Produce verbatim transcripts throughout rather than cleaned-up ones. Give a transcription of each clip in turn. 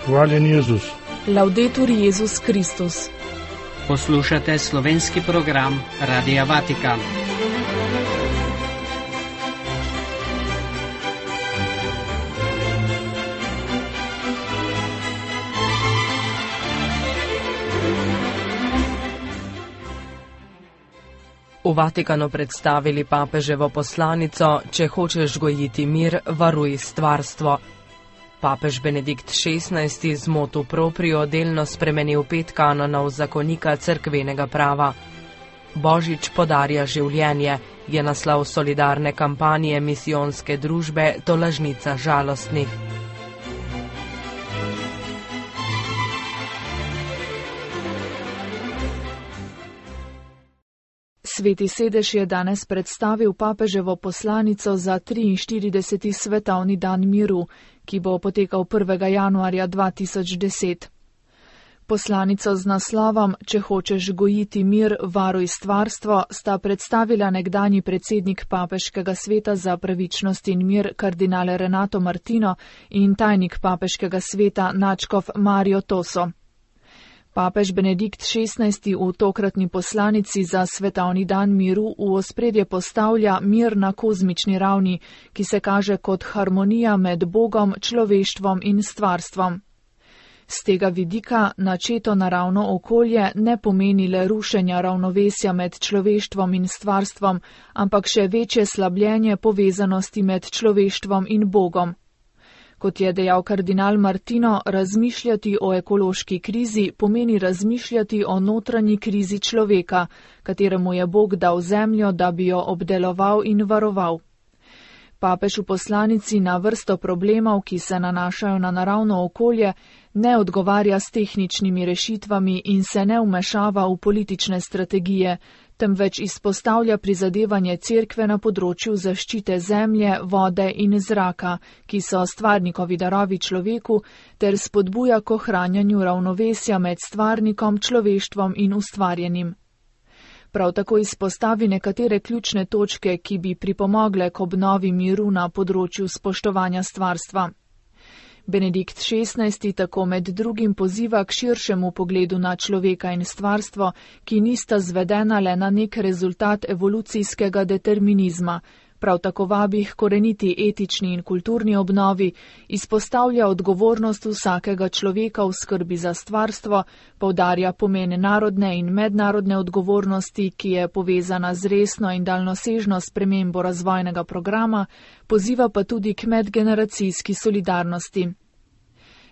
Hvaljen Jezus. Laudetur Jezus Kristus. Poslušate slovenski program Radia Vatikan. V Vatikanu predstavili papeževo poslanico: če hočeš gojiti mir, varuj stvarstvo. Papež Benedikt šestnajsti z motu proprio delno spremenil pet kanonov zakonika cerkvenega prava. Božič podarja življenje je naslov solidarne kampanje misijonske družbe Tolažnica žalostnih. Sveti sedež je danes predstavil papeževo poslanico za triinštirideseti svetovni dan miru, ki bo potekal prvega januarja dva tisoč deset. Poslanico z naslovom Če hočeš gojiti mir, varuj stvarstvo sta predstavila nekdanji predsednik Papeškega sveta za pravičnost in mir kardinal Renato Martino in tajnik Papeškega sveta nadškof Mario Toso. Papež Benedikt šestnajsti v tokratni poslanici za svetovni dan miru v ospredje postavlja mir na kozmični ravni, ki se kaže kot harmonija med Bogom, človeštvom in stvarstvom. Z tega vidika načeto naravno okolje ne pomeni le rušenja ravnovesja med človeštvom in stvarstvom, ampak še večje slabljenje povezanosti med človeštvom in Bogom. Kot je dejal kardinal Martino, razmišljati o ekološki krizi pomeni razmišljati o notranji krizi človeka, kateremu je Bog dal zemljo, da bi jo obdeloval in varoval. Papež v poslanici na vrsto problemov, ki se nanašajo na naravno okolje, ne odgovarja s tehničnimi rešitvami in se ne vmešava v politične strategije, temveč izpostavlja prizadevanje cerkve na področju zaščite zemlje, vode in zraka, ki so stvarnikovi darovi človeku, ter spodbuja k ohranjanju ravnovesja med stvarnikom, človeštvom in ustvarjenim. Prav tako izpostavi nekatere ključne točke, ki bi pripomogle k obnovi miru na področju spoštovanja stvarstva. Benedikt šestnajsti tako med drugim poziva k širšemu pogledu na človeka in stvarstvo, ki nista zvedena le na nek rezultat evolucijskega determinizma. Prav tako vabi k koreniti etični in kulturni obnovi, izpostavlja odgovornost vsakega človeka v skrbi za stvarstvo, poudarja pomen narodne in mednarodne odgovornosti, ki je povezana z resno in daljnosežno spremembo razvojnega programa, poziva pa tudi k medgeneracijski solidarnosti.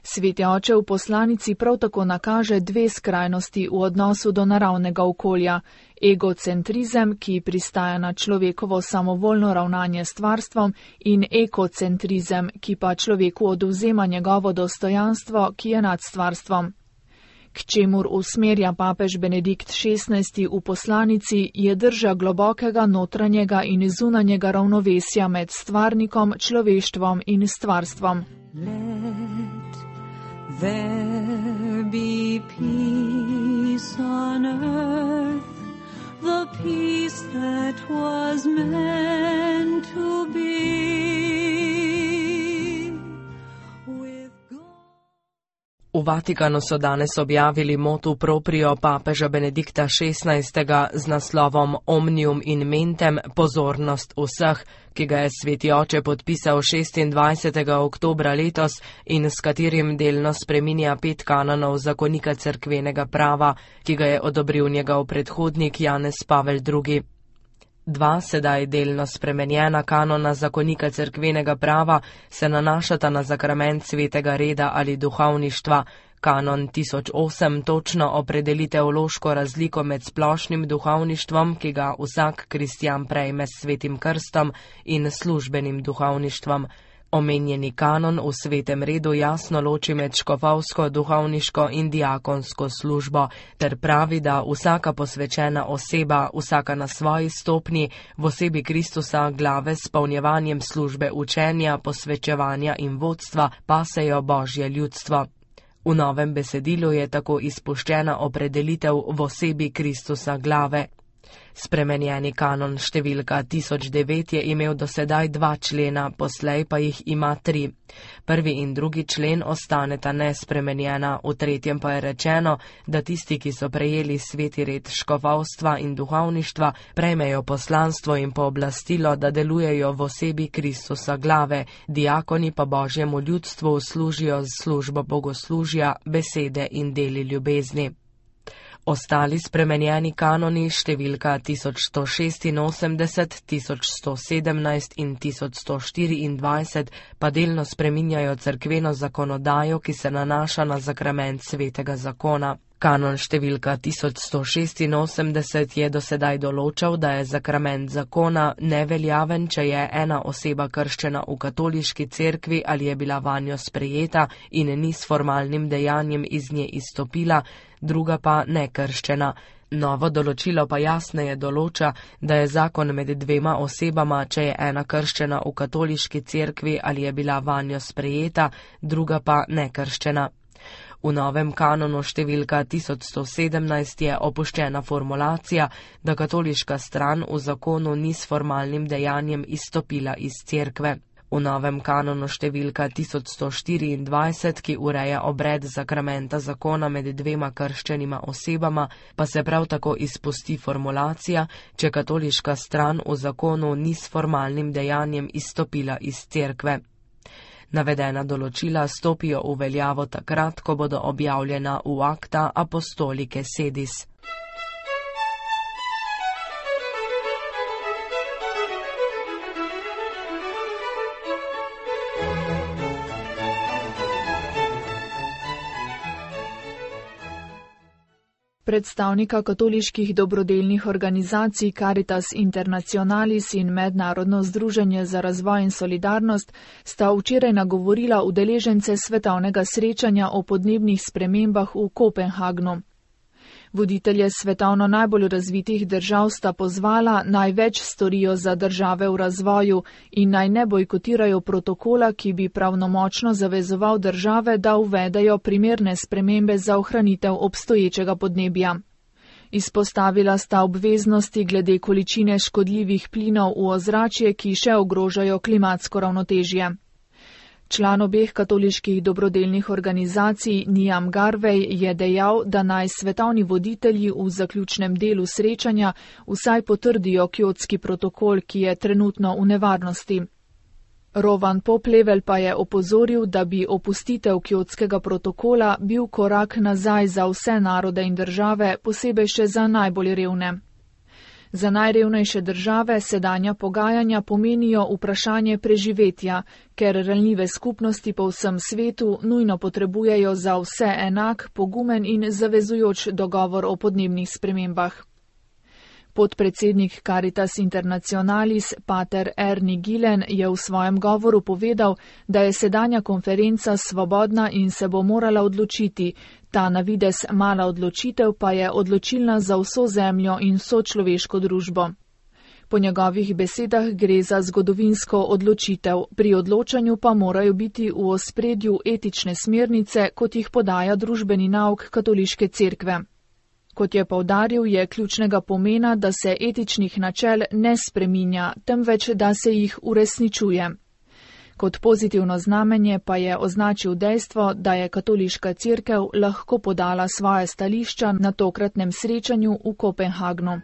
Sveti oče v poslanici prav tako nakaže dve skrajnosti v odnosu do naravnega okolja: egocentrizem, ki pristaja na človekovo samovoljno ravnanje s stvarstvom, in ekocentrizem, ki pa človeku odvzema njegovo dostojanstvo, ki je nad stvarstvom. K čemur usmerja papež Benedikt šestnajsti v poslanici je drža globokega notranjega in zunanjega ravnovesja med stvarnikom, človeštvom in stvarstvom. There be peace on earth, the peace that was meant to be. V Vatikanu so danes objavili motu proprio papeža Benedikta šestnajstega z naslovom Omnium in mentem, pozornost vseh, ki ga je sveti oče podpisal šestindvajsetega oktobra letos in s katerim delno spreminja pet kanonov zakonika cerkvenega prava, ki ga je odobril njegov predhodnik Janez Pavel drugi. Dva sedaj delno spremenjena kanona zakonika cerkvenega prava se nanašata na zakrament svetega reda ali duhovništva. Kanon tisoč osem točno opredeli teološko razliko med splošnim duhovništvom, ki ga vsak kristjan prejme s svetim krstom, in službenim duhovništvom. Omenjeni kanon v svetem redu jasno loči med škofovsko, duhovniško in diakonsko službo, ter pravi, da vsaka posvečena oseba, vsaka na svoji stopnji, v osebi Kristusa glave s polnjevanjem službe učenja, posvečevanja in vodstva, pasejo Božje ljudstvo. V novem besedilu je tako izpuščena opredelitev v osebi Kristusa glave. Spremenjeni kanon številka tisoč devet je imel dosedaj dva člena, poslej pa jih ima tri. Prvi in drugi člen ostaneta nespremenjena, v tretjem pa je rečeno, da tisti, ki so prejeli sveti red škofovstva in duhovništva, prejmejo poslanstvo in pooblastilo, da delujejo v osebi Kristusa glave, diakoni pa Božjemu ljudstvu služijo z službo bogoslužja, besede in deli ljubezni. Ostali spremenjeni kanoni številka tisoč sto šestinosemdeset, tisoč sto sedemnajst in tisoč sto štiriindvajset pa delno spreminjajo cerkveno zakonodajo, ki se nanaša na zakrament svetega zakona. Kanon številka tisoč sto šestinosemdeset je dosedaj določal, da je zakrament zakona neveljaven, če je ena oseba krščena v katoliški cerkvi ali je bila vanjo sprejeta in ni s formalnim dejanjem iz nje izstopila, druga pa nekrščena. Novo določilo pa jasneje določa, da je zakon med dvema osebama, če je ena krščena v katoliški cerkvi ali je bila vanjo sprejeta, druga pa nekrščena. V novem kanonu številka tisoč sto sedemnajst je opuščena formulacija, da katoliška stran v zakonu ni s formalnim dejanjem izstopila iz cerkve. V novem kanonu številka tisoč sto štiriindvajset, ki ureja obred zakramenta zakona med dvema krščenima osebama, pa se prav tako izpusti formulacija, če katoliška stran v zakonu ni s formalnim dejanjem izstopila iz cerkve. Navedena določila stopijo v veljavo takrat, ko bodo objavljena v Acta Apostolike Sedis. Predstavnika katoliških dobrodelnih organizacij Caritas Internationalis in Mednarodno združenje za razvoj in solidarnost sta včeraj nagovorila udeležence svetovnega srečanja o podnebnih spremembah v Kopenhagnu. Voditelje svetovno najbolj razvitih držav sta pozvala, naj več storijo za države v razvoju in naj ne bojkotirajo protokola, ki bi pravnomočno zavezoval države, da uvedejo primerne spremembe za ohranitev obstoječega podnebja. Izpostavila sta obveznosti glede količine škodljivih plinov v ozračje, ki še ogrožajo klimatsko ravnotežje. Član obeh katoliških dobrodelnih organizacij Niam Garvey je dejal, da naj svetovni voditelji v zaključnem delu srečanja vsaj potrdijo kjotski protokol, ki je trenutno v nevarnosti. Rowan Poplevel pa je opozoril, da bi opustitev kjotskega protokola bil korak nazaj za vse narode in države, posebej še za najbolj revne. Za najrevnejše države sedanja pogajanja pomenijo vprašanje preživetja, ker ranljive skupnosti po vsem svetu nujno potrebujejo za vse enak, pogumen in zavezujoč dogovor o podnebnih spremembah. Podpredsednik Caritas Internationalis, pater Ernie Gillen, je v svojem govoru povedal, da je sedanja konferenca svobodna in se bo morala odločiti. Ta na videz mala odločitev pa je odločilna za vso zemljo in vso človeško družbo. Po njegovih besedah gre za zgodovinsko odločitev, pri odločanju pa morajo biti v ospredju etične smernice, kot jih podaja družbeni nauk katoliške cerkve. Kot je poudaril, je ključnega pomena, da se etičnih načel ne spreminja, temveč da se jih uresničuje. Kot pozitivno znamenje pa je označil dejstvo, da je katoliška cerkev lahko podala svoje stališča na tokratnem srečanju v Kopenhagnu.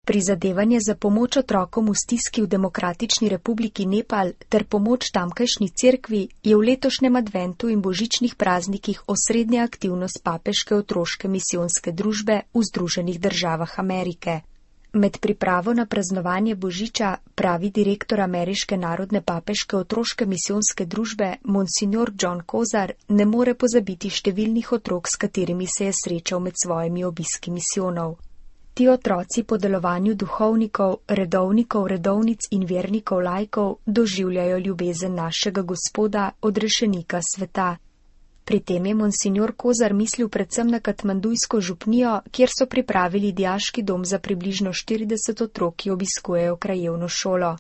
Prizadevanje za pomoč otrokom v stiski v Demokratični republiki Nepal ter pomoč tamkajšnji cerkvi je v letošnjem adventu in božičnih praznikih osrednja aktivnost papeške otroške misijonske družbe v Združenih državah Amerike. Med pripravo na praznovanje božiča pravi direktor Ameriške narodne papeške otroške misijonske družbe Monsignor John Kozar ne more pozabiti številnih otrok, s katerimi se je srečal med svojimi obiski misijonov. Ti otroci po delovanju duhovnikov, redovnikov, redovnic in vernikov laikov doživljajo ljubezen našega Gospoda, odrešenika sveta. Pri tem je monsignor Kozar mislil predvsem na katmandujsko župnijo, kjer so pripravili dijaški dom za približno štirideset otrok, ki obiskujejo krajevno šolo.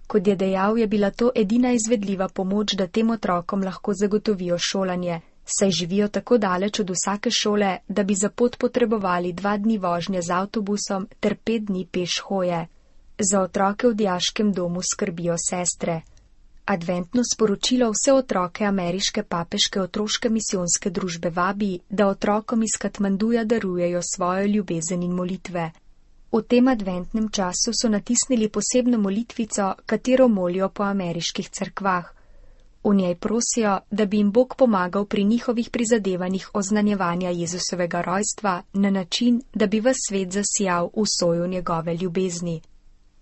Kot je dejal, je bila to edina izvedljiva pomoč, da tem otrokom lahko zagotovijo šolanje, saj živijo tako daleč od vsake šole, da bi za pot potrebovali dva dni vožnje z avtobusom ter pet dni peš hoje. Za otroke v dijaškem domu skrbijo sestre. Adventno sporočilo vse otroke ameriške papeške otroške misijonske družbe vabi, da otrokom iz Katmanduja darujejo svojo ljubezen in molitve. V tem adventnem času so natisnili posebno molitvico, katero molijo po ameriških cerkvah. V njej prosijo, da bi jim Bog pomagal pri njihovih prizadevanjih oznanjevanja Jezusovega rojstva na način, da bi ves svet zasijal v soju njegove ljubezni.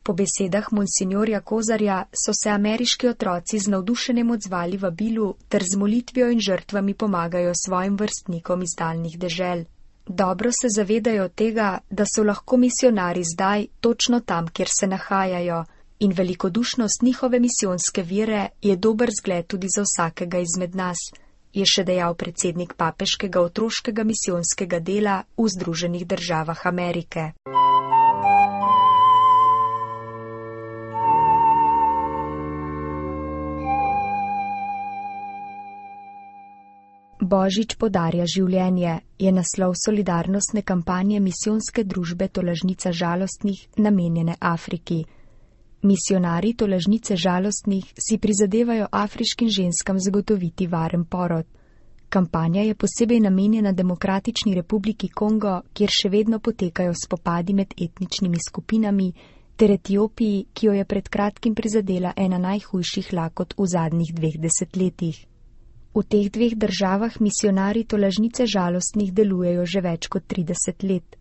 Po besedah monsinjorja Kozarja so se ameriški otroci z navdušenjem odzvali vabilu ter z molitvijo in žrtvami pomagajo svojim vrstnikom iz daljnih dežel. Dobro se zavedajo tega, da so lahko misionari zdaj točno tam, kjer se nahajajo, in velikodušnost njihove misijonske vire je dober zgled tudi za vsakega izmed nas, je še dejal predsednik papeškega otroškega misijonskega dela v Združenih državah Amerike. Božič podarja življenje je naslov solidarnostne kampanje misijonske družbe Tolažnica žalostnih, namenjene Afriki. Misionari Tolažnice žalostnih si prizadevajo afriškim ženskam zagotoviti varen porod. Kampanja je posebej namenjena Demokratični republiki Kongo, kjer še vedno potekajo spopadi med etničnimi skupinami, ter Etiopiji, ki jo je pred kratkim prizadela ena najhujših lakot v zadnjih dveh desetletjih. V teh dveh državah misionari Tolažnice žalostnih delujejo že več kot trideset let.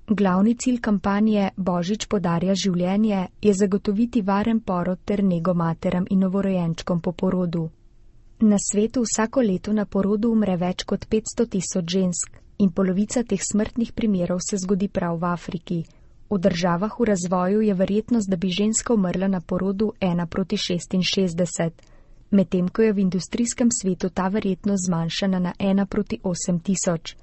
Glavni cilj kampanje Božič podarja življenje je zagotoviti varen porod ter nego materam in novorojenčkom po porodu. Na svetu vsako leto na porodu umre več kot petsto tisoč žensk in polovica teh smrtnih primerov se zgodi prav v Afriki. V državah v razvoju je verjetnost, da bi ženska umrla na porodu ena proti šestinšestdeset, medtem ko je v industrijskem svetu ta verjetnost zmanjšana na ena proti osem tisoč.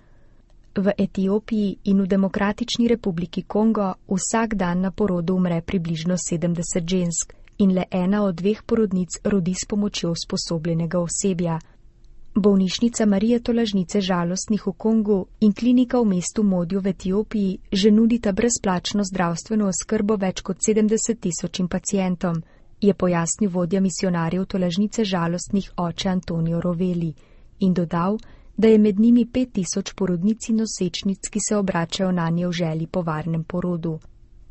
V Etiopiji in v Demokratični republiki Kongo vsak dan na porodu umre približno sedemdeset žensk in le ena od dveh porodnic rodi s pomočjo usposobljenega osebja. Bolnišnica Marije Tolažnice žalostnih v Kongu in klinika v mestu Modjo v Etiopiji že nudita brezplačno zdravstveno oskrbo več kot sedemdeset tisočim pacientom, je pojasnil vodja misionarjev Tolažnice žalostnih oče Antonijo Roveli in dodal, da je med njimi pet tisoč porodnic in nosečnic, ki se obračajo nanje v želji po varnem porodu.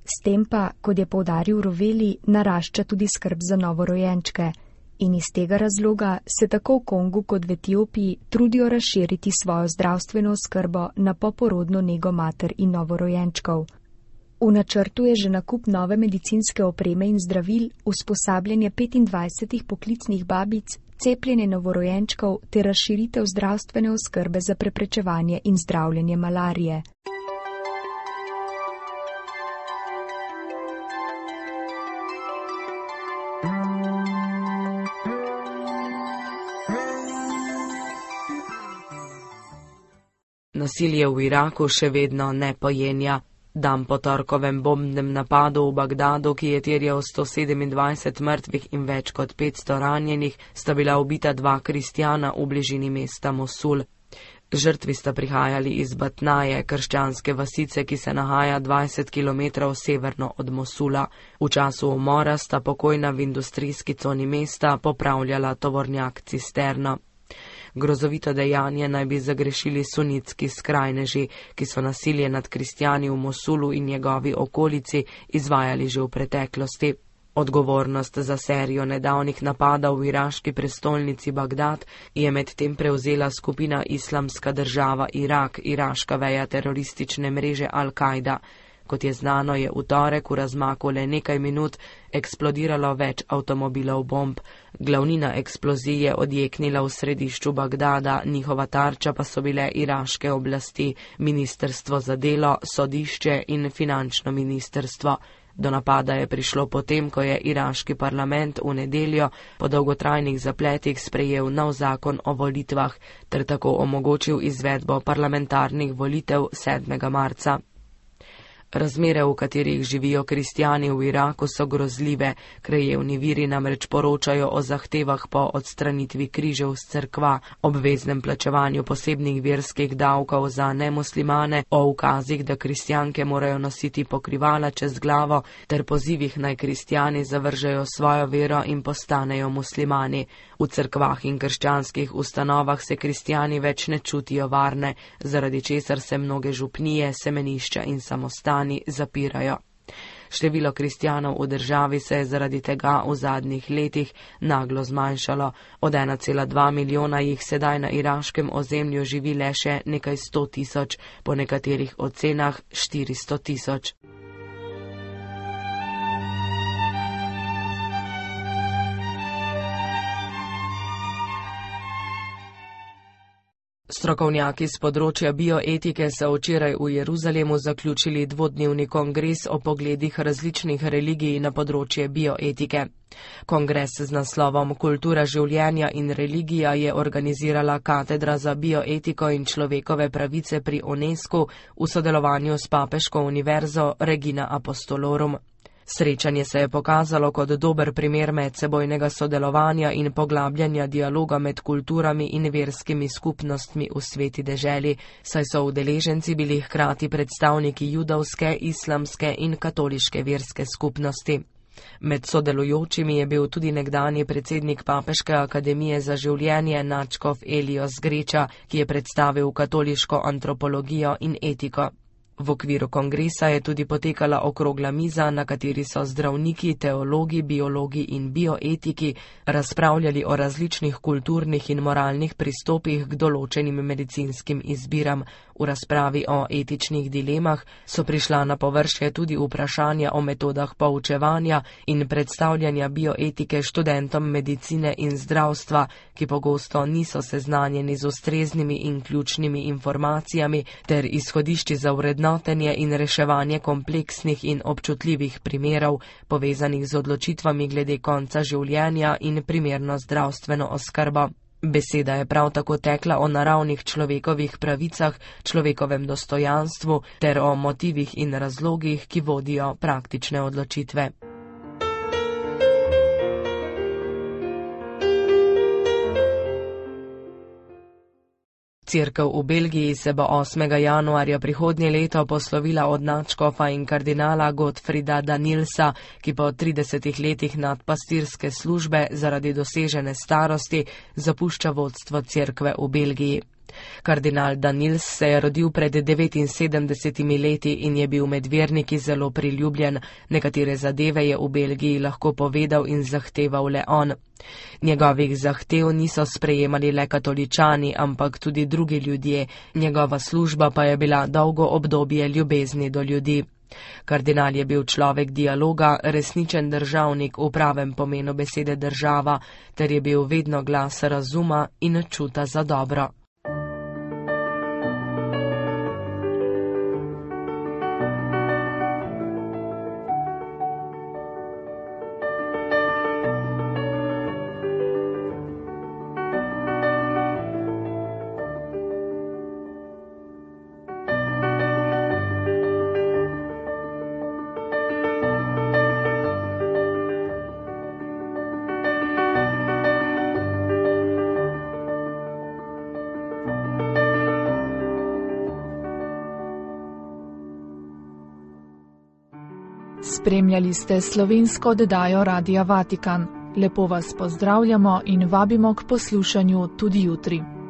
S tem pa, kot je poudaril Roveli, narašča tudi skrb za novorojenčke in iz tega razloga se tako v Kongu kot v Etiopiji trudijo razširiti svojo zdravstveno oskrbo na poporodno nego mater in novorojenčkov. V načrtu je že nakup nove medicinske opreme in zdravil, usposabljanje petindvajsetih poklicnih babic, cepljenje novorojenčkov ter razširitev zdravstvene oskrbe za preprečevanje in zdravljenje malarije. Nasilje v Iraku še vedno ne pojenja. Dan po torkovem bombnem napadu v Bagdadu, ki je terjal sto sedemindvajset mrtvih in več kot petsto ranjenih, sta bila ubita dva kristjana v bližini mesta Mosul. Žrtvi sta prihajali iz Batnaje, krščanske vasice, ki se nahaja dvajset kilometrov severno od Mosula. V času umora sta pokojna v industrijski coni mesta popravljala tovornjak cisterno. Grozovito dejanje naj bi zagrešili sunitski skrajneži, ki so nasilje nad kristjani v Mosulu in njegovi okolici izvajali že v preteklosti. Odgovornost za serijo nedavnih napadov v iraški prestolnici Bagdad je medtem prevzela skupina Islamska država Irak, iraška veja teroristične mreže Al-Kaida. Kot je znano, je v torek v razmaku le nekaj minut eksplodiralo več avtomobilov bomb. Glavnina eksplozij je odjeknila v središču Bagdada, njihova tarča pa so bile iraške oblasti, ministrstvo za delo, sodišče in finančno ministrstvo. Do napada je prišlo potem, ko je iraški parlament v nedeljo po dolgotrajnih zapletih sprejel nov zakon o volitvah ter tako omogočil izvedbo parlamentarnih volitev sedmega marca. Razmere, v katerih živijo kristjani v Iraku, so grozljive. Krajevni viri namreč poročajo o zahtevah po odstranitvi križev z cerkva, obveznem plačevanju posebnih verskih davkov za nemuslimane, o ukazih, da kristjanke morajo nositi pokrivala čez glavo, ter pozivih naj kristjani zavržejo svojo vero in postanejo muslimani. V cerkvah in krščanskih ustanovah se kristjani več ne čutijo varne, zaradi česar se mnoge župnije, semenišča in samostani zapirajo. Število kristjanov v državi se je zaradi tega v zadnjih letih naglo zmanjšalo. Od ena cela dva milijona jih sedaj na iraškem ozemlju živi le še nekaj sto tisoč, po nekaterih ocenah štiristo tisoč. Strokovnjaki z področja bioetike so včeraj v Jeruzalemu zaključili dvodnevni kongres o pogledih različnih religij na področje bioetike. Kongres z naslovom Kultura življenja in religija je organizirala Katedra za bioetiko in človekove pravice pri UNESCO v sodelovanju s Papeško univerzo Regina Apostolorum. Srečanje se je pokazalo kot dober primer medsebojnega sodelovanja in poglabljanja dialoga med kulturami in verskimi skupnostmi v sveti deželi, saj so udeleženci bili hkrati predstavniki judovske, islamske in katoliške verske skupnosti. Med sodelujočimi je bil tudi nekdanji predsednik Papeške akademije za življenje nadškof Elios Greča, ki je predstavil katoliško antropologijo in etiko. V okviru kongresa je tudi potekala okrogla miza, na kateri so zdravniki, teologi, biologi in bioetiki razpravljali o različnih kulturnih in moralnih pristopih k določenim medicinskim izbiram. V razpravi o etičnih dilemah so prišla na površje tudi vprašanja o metodah poučevanja in predstavljanja bioetike študentom medicine in zdravstva, ki pogosto niso seznanjeni z ustreznimi in ključnimi informacijami ter izhodišči za vrednotenje in reševanje kompleksnih in občutljivih primerov, povezanih z odločitvami glede konca življenja in primerno zdravstveno oskrbo. Beseda je prav tako tekla o naravnih človekovih pravicah, človekovem dostojanstvu ter o motivih in razlogih, ki vodijo praktične odločitve. Cerkev v Belgiji se bo osmega januarja prihodnje leto poslovila od nadškofa in kardinala Gottfrieda Danilsa, ki po tridesetih letih nadpastirske službe zaradi dosežene starosti zapušča vodstvo cerkve v Belgiji. Kardinal Danils se je rodil pred devetinsedemdesetimi leti in je bil med verniki zelo priljubljen. Nekatere zadeve je v Belgiji lahko povedal in zahteval le on. Njegovih zahtev niso sprejemali le katoličani, ampak tudi drugi ljudje. Njegova služba pa je bila dolgo obdobje ljubezni do ljudi. Kardinal je bil človek dialoga, resničen državnik v pravem pomenu besede država, ter je bil vedno glas razuma in čuta za dobro. Spremljali ste slovensko oddajo Radia Vatikan. Lepo vas pozdravljamo in vabimo k poslušanju tudi jutri.